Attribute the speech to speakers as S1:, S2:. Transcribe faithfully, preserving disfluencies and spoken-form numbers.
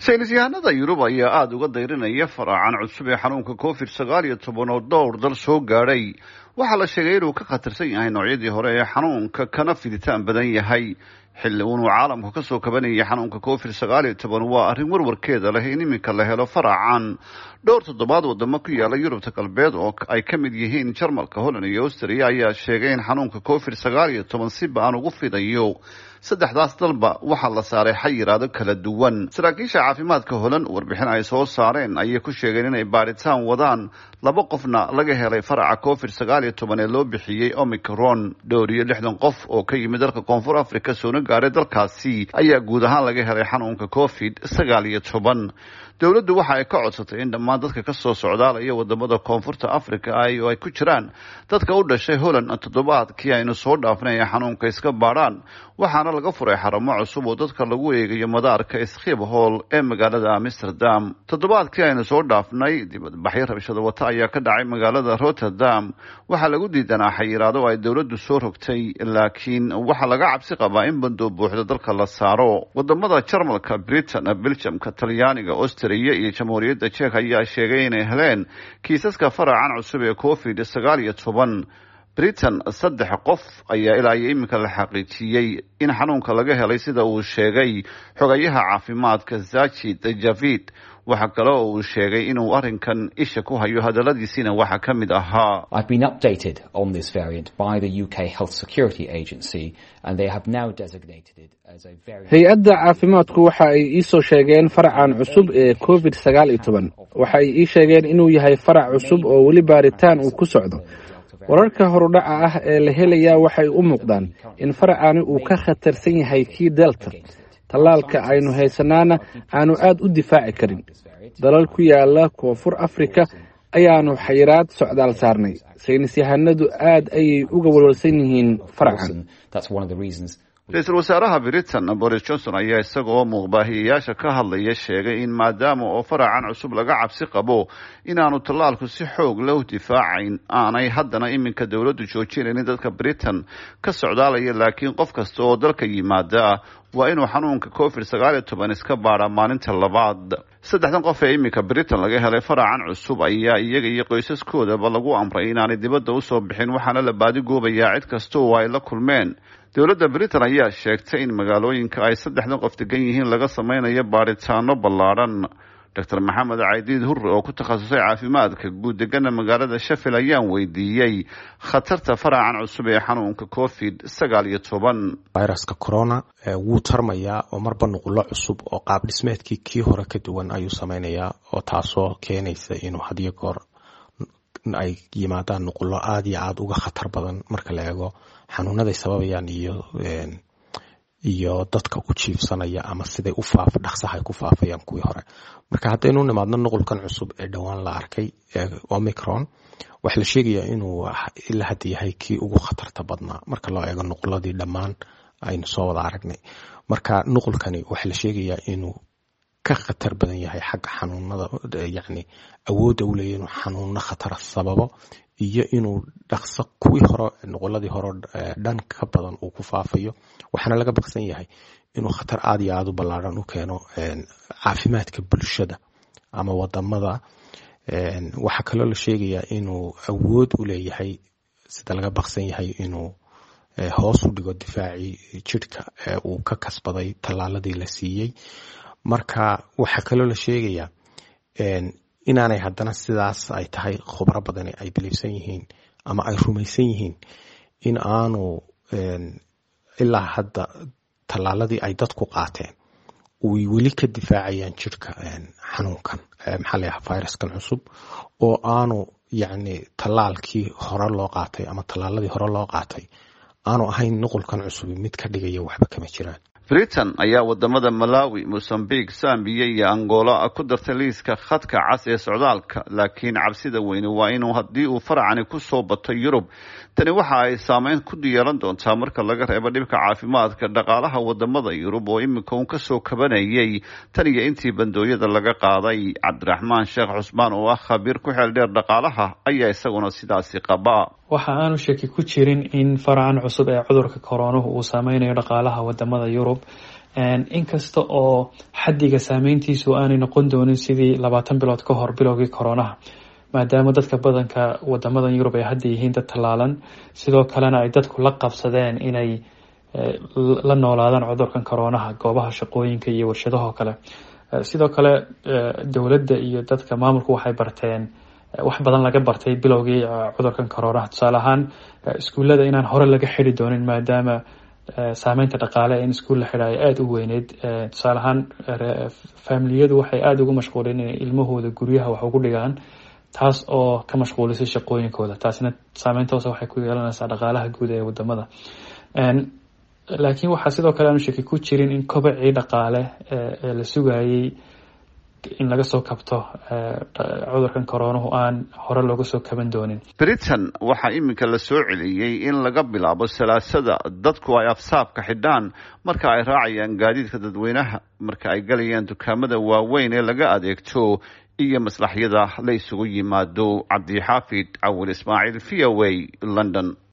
S1: Saynisyahanada Yurub ayaa aada uga dayrinaya faracan cusub ee xanuunka Covid sagaal iyo toban oo dhowr dal soo gaadhay. Waxaa la sheegay inuu ka khatarsan yahay noocyadii hore ee xanuunka, kana fiditaan badan yahay. Xilli uunuu caalamku kasoo kabanayay xanuunka Covid sagaal iyo toban, waa arrin warwarkeeda leh in iminka la helo faracan. Dhowr toddobaad wadamo ku yaala Yurubta Galbeed oo ay ka mid yihiin Jarmalka, Holland iyo Austria ayaa sheegay in xanuunka Covid sagaal iyo toban si ba-an ugu fidayo. Saddexdaas dalba waxaa la saaray xayiraado kala duwan. Saraakiisha caafimaadka Holland warbixin ay soo saareen ayay ku sheegeen inay baaritaan wadaan, laba qofna laga helay faraca Covid sagaal iyo toban ee loo bixiyey Omicron. Dhowr iyo lixdan qof oo ka yimid dalka Koonfur Africa soona gaaray dalkaasi ayaa guud ahaan laga helay xanuunka Covid sagaal iyo toban. Dowladdu waxa ay ka codsatay in dhammaan dadka kasoo socdaalaya wadamada Koonfurta Africa ay oo ay ku jiraan dadka u dhashay Holland toddobaadkii aynu soo dhaafnay ay xanuunka iska baadhaan. Waxaana laga furay xarumo cusub oo dadka lagu eegayo madaarka Schiphol ee magaalada Amsterdam. Toddobaadkii aynu soo dhaafnay, dibadbaxyo rabshado wata ayaa ka dhacay magaalada Rotterdam. Waxaa lagu diidanaa xayiraado ay dowladdu soo rogtay, laakiin waxaa laga cabsi qabaa in bandoo buuxda dalka la saaro. Wadamada Jarmalka, Britain, Belgiumka, Talyaaniga, Austria iyo Jamhuuriyadda Jek ayaa sheegay inay heleen kiisaska faracan cusub ee Covid sagaal iyo toban. Britain saddex qof ayaa ilaa iyo iminka la xaqiijiyey in xanuunka laga helay, sida uu sheegay xogayaha caafimaadka Sajid Javid. Waxa kale oo uu sheegay inuu arrinkan isha ku hayo. Hadaladiisiina waxaa ka mid ahaa:
S2: I've been updated on this variant by the U K Health Security Agency, and they have now designated it as a variant.
S3: Hay-adda caafimaadku waxa ay ii soo sheegeen faracan cusub ee Covid sagaal iyo toban. Waxa ay ii sheegeen inuu yahay farac cusub oo weli baaritaan uu ku socdo. Wararka horudhaca ah ee la helayaa waxay u muuqdaan in faracani uu ka khatarsan yahay kii Delta, tallaalka aynu haysanaana aanu aad u difaaci karin. Dalal ku yaala Koonfur Afrika ayaanu xayiraad socdaal saarnay. Saynis yahanadu aad ayay uga walwalsan yihiin faracan.
S2: That's one of the reasons.
S1: Ra-iisul wasaaraha Britain Boris Johnson ayaa isagoo muuqbaahiyayaasha ka hadlaya sheegay in maadaama oo faracan cusub laga cabsi qabo inaanu tallaalku si xoog leh u difaacayn, aanay haddana iminka dowladdu joojinaynin dadka Britain ka socdaalaya, laakiin qof kasta oo dalka yimaada waa inuu xanuunka Covid sagaal iyo toban iska baadhaa maalinta labaad. Saddexdan qof ee iminka Britain laga helay faracan cusub ayaa iyaga iyo qoysaskoodaba lagu amray inaanay dibadda usoo bixin, waxaana la baadigoobayaa cid kasta oo ay la kulmeen. Dowladda Britain ayaa sheegtay in magaalooyinka ay saddexdan qof degan yihiin laga sameynayo baaritaano ballaadhan. Doctor Maxamed Caydiid Hurre oo ku takhasusay caafimaadka guud, degana magaalada Sheffield, ayaan weydiiyey khatarta faracan cusub ee xanuunka Covid sagaal iyo toban.
S4: Viruska corona wuu tarmayaa oo marba nuqulo cusub oo qaab dhismeedkii kii hore ka duwan ayuu sameynayaa, oo taasoo keenaysa inuu hadiyo goor ay yimaadaan nuqulo aada iyo aada uga khatar badan marka la eego xanuunaday sababayaan iyo iyo dadka u jiifsanaya ama siday u faaf dhaqsaha ay ku faafayaan kuwii hore. Marka haddaynu nimaadno nuqulkan cusub ee dhowaan la arkay ee Omicron, waxaa la sheegayaa inuu ilaa hadda yahay kii ugu khatarta badnaa marka loo eego nuquladii dhammaan aynu soo wada aragnay. Marka nuqulkani waxaa la sheegayaa inuu ka khatar badan yahay xagga xanuunada, yacni awoodda u leeyahy inuu xanuuno khatara sababo iyo inuu dhaqso kuwii hore, nuquladii hore dhan ka badan uu ku faafayo. Waxaana laga baqsan yahay inuu khatar aada iyo aada u ballaaran u keeno caafimaadka bulshada ama wadamada. Waxaa kaloo la sheegayaa inuu awood u leeyahay, sida laga baqsan yahay, inuu hoos u dhigo difaacii jidhka uu ka kasbaday tallaaladii la siiyey. Marka waxaa kaloo la sheegayaa inaanay haddana sidaas ay tahay khubro badani ay biliibsan yihiin ama ay rumaysan yihiin in aanu ilaa hadda tallaaladii ay dadku qaateen uy weli ka difaacayaan jidhka xanuunkan, maxaa la yaha, viruskan cusub, oo aanu yacni tallaalkii hore loo qaatay ama tallaaladii hore loo qaatay aanu ahayn nuqulkan cusubi mid ka dhigaya waxba kama jiraan.
S1: Britain ayaa wadamada Malawi, Mozambique, Zambiya iyo Angola ku dartay liiska khadka cas ee socdaalka, laakiin cabsida weyne waa inuu haddii uu faracani kusoo bato Yurub, tani waxa ay saameyn ku yeelan doontaa, marka laga reebo dhibka caafimaadka, dhaqaalaha wadamada Yurub oo iminka uun kasoo kabanayay tan iyo intii bandooyada laga qaaday. Cabdiraxmaan Sheekh Cusmaan oo ah khabiir ku xeel dheer dhaqaalaha ayaa isaguna sidaasi qaba.
S5: Waxa aanu shaki ku jirin in faracan cusub ee cudurka koroonuhu uu saameynayo dhaqaalaha wadamada Yurub. Inkasta oo xaddiga saameyntiisu aanay noqon doonin sidii labaatan bilood ka hor bilowgii koronaha, maadaama dadka badanka wadamadan Yurub ay hadda yihiin dad tallaalan, sidoo kalena ay dadku la qabsadeen inay la noolaadaan cudurkan koronaha goobaha shaqooyinka iyo warshadahoo kale. Sidoo kale dowladda iyo dadka maamulku waxay barteen wax badan laga bartay bilowgii cudurkan koronaha, tusaale ahaan iskuullada inaan hore laga xidi doonin, maadaama saameynta dhaqaale in iskuul la xidha ay aada u weyneyd. Tusaale ahaan faamiliyadu waxay aada ugu mashquuleen inay ilmahooda guryaha wax ugu dhigaan, taas oo ka mashquulisay shaqooyinkooda, taasina saameynta hoose waxay ku yeelanaysaa dhaqaalaha guud ee wadamada. Laakiin waxaa sidoo kale aanu shaki ku jirin in kobacii dhaqaale ee la sugayay in laga soo kabto cudurkan koronuhu aan hore looga soo kaban doonin.
S1: Britain waxaa iminka la soo celiyey in laga bilaabo Salaasada dadku ay afsaabka xidhaan marka ay raacayaan gaadiidka dadweynaha, marka ay galayaan dukaamada waaweyn ee laga adeegto iyo maslaxyada la isugu yimaado. Cabdixaafid Cawil Ismaaciil, V O A, London.